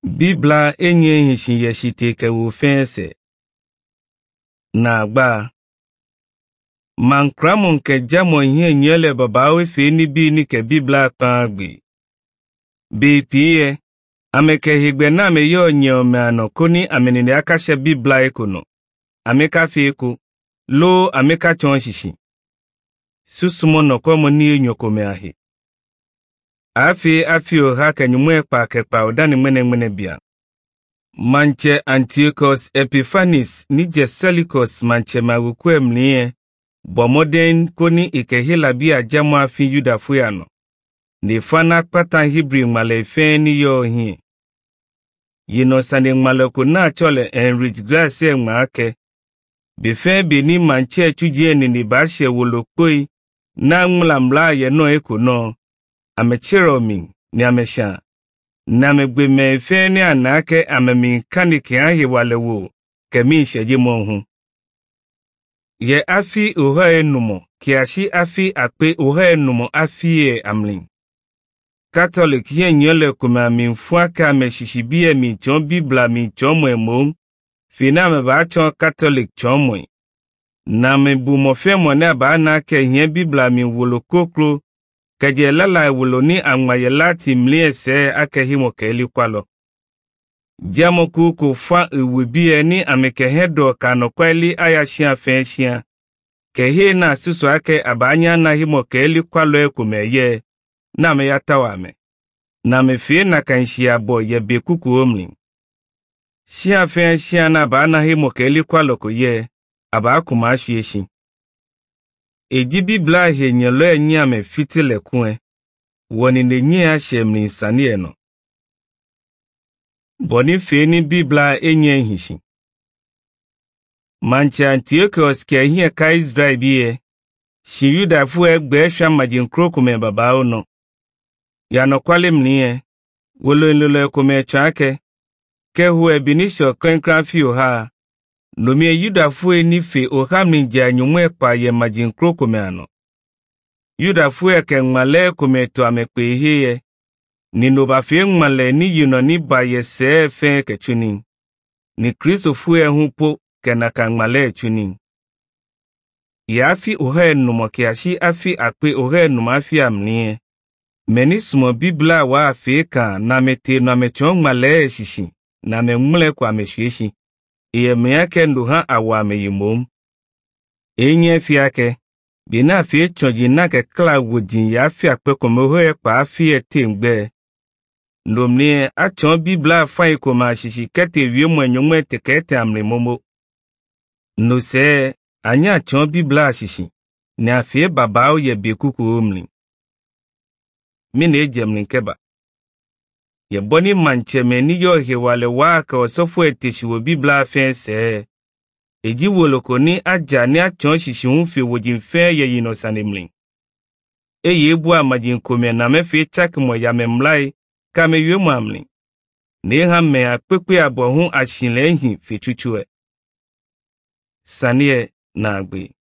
Bibla enye hishin yeshite ke wo fense. Na agba. Mankramon ke jamo ihe nyele baba we fe ni bi ni ke Bibla kpan gbe. Be piye, ame ke higbe na me yo nye ome ano koni ame ni akashe Bibla ekono. Ame ka fe eko, lo ame ka chon shishi. Susumo no komo ni enyoko me ahe. Afi afi oha ke nyumwe kpa ke kpa odani mwene mwene bia. Manche Antiochus Epiphanes ni Seleucus manche magukwe mlie bomoden koni ikehila bia jamu afi Yuda fuyano. Ni fana kpata Hebrew ngmale ife ni yo hi. Yino sani ngmale kuna chole Enrich Grace ngma. Bife bi ni manche chujie ni ni bashe wolokoi na ngmla ye no eko no. Amechiromi ni amesha. Na megbe me ife ni anake amemi kanike ahi wale wo kemi isheji mo hu. Ye afi oha enumo kiashi afi akpe oha enumo afi e amlin. Catholic ye nyole kuma mi mfuaka me shishibie mi chon Bibla mi chon mwe mo. Fina me ba chon Catholic chon mwe. Na me bu mo fe mo na ba na ke nye Bibla mi wolo koklo keje lala wolo ni angmaye lati mlie se ake himo ke kwalo. Jamo kuku fa iwe ni ameke hedo kano kweli aya shia fe shia. Ke he na susu ake abanya na himo ke kwalo ekume ye na me ya tawa me. Na me fie na kanshi abo ye be kuku omlin. Shia fe shia na ba na himo ke kwalo ko ye aba akuma ashu eshi. Eji Bibla he nyelo enyi ame fitile kue. Woni ne nyi ashe mlin sani eno. Boni fe ni Bibla enye hishi. Manche Antiochus ke hie ka Israel biye. Shi Yuda fu egbe sha majin krokume baba ono. Ya no kwale mniye. Wolo nlolo kume chake. Ke hu ebinisho krenkran fi oha. Nomie Yuda fu ni fe oha mninja nyumwe pa ye majin krokume ano. Yuda fu eke ngmale kume to amekpe ihe Ni no ba fe ngmale ni yuno ni ba ye se fe ke chuni. Ni Kristo fu e hu po ke na ka ngmale chuni. Ya afi oha enumo kiashi afi akpe oha enumo afi amnie. Meni sumo Bibla wa afi ka na mete no amechon ngmale shishi na me ngmle kwa ameshueshi. Iye miyake ndu ha awa ameyimom. Enye fi ake. Bi na fi chonji na ke kla wojin ya fi akpe komo e pa afi e te ngbe. Ndomnie achon Bibla fa ikoma shishi kete wie mo enyomwe tekete amle momo. No se anya achon Bibla shishi ni afi baba o ye be kuku omli. Mi na eje nkeba. Ye boni manche me ni yo he wale wa ka osofo eteshi wo Bibla fe se. Eji woloko ni aja ni achon shishi un fi wojin fe ye yino sanemlin. Eye ebu amajin kome na me fi chak mo ya me mlai ka me wie mo amlin. Ne ha me akpekpe abo hu ashinle hin fi chuchu e. Sanie na agbe.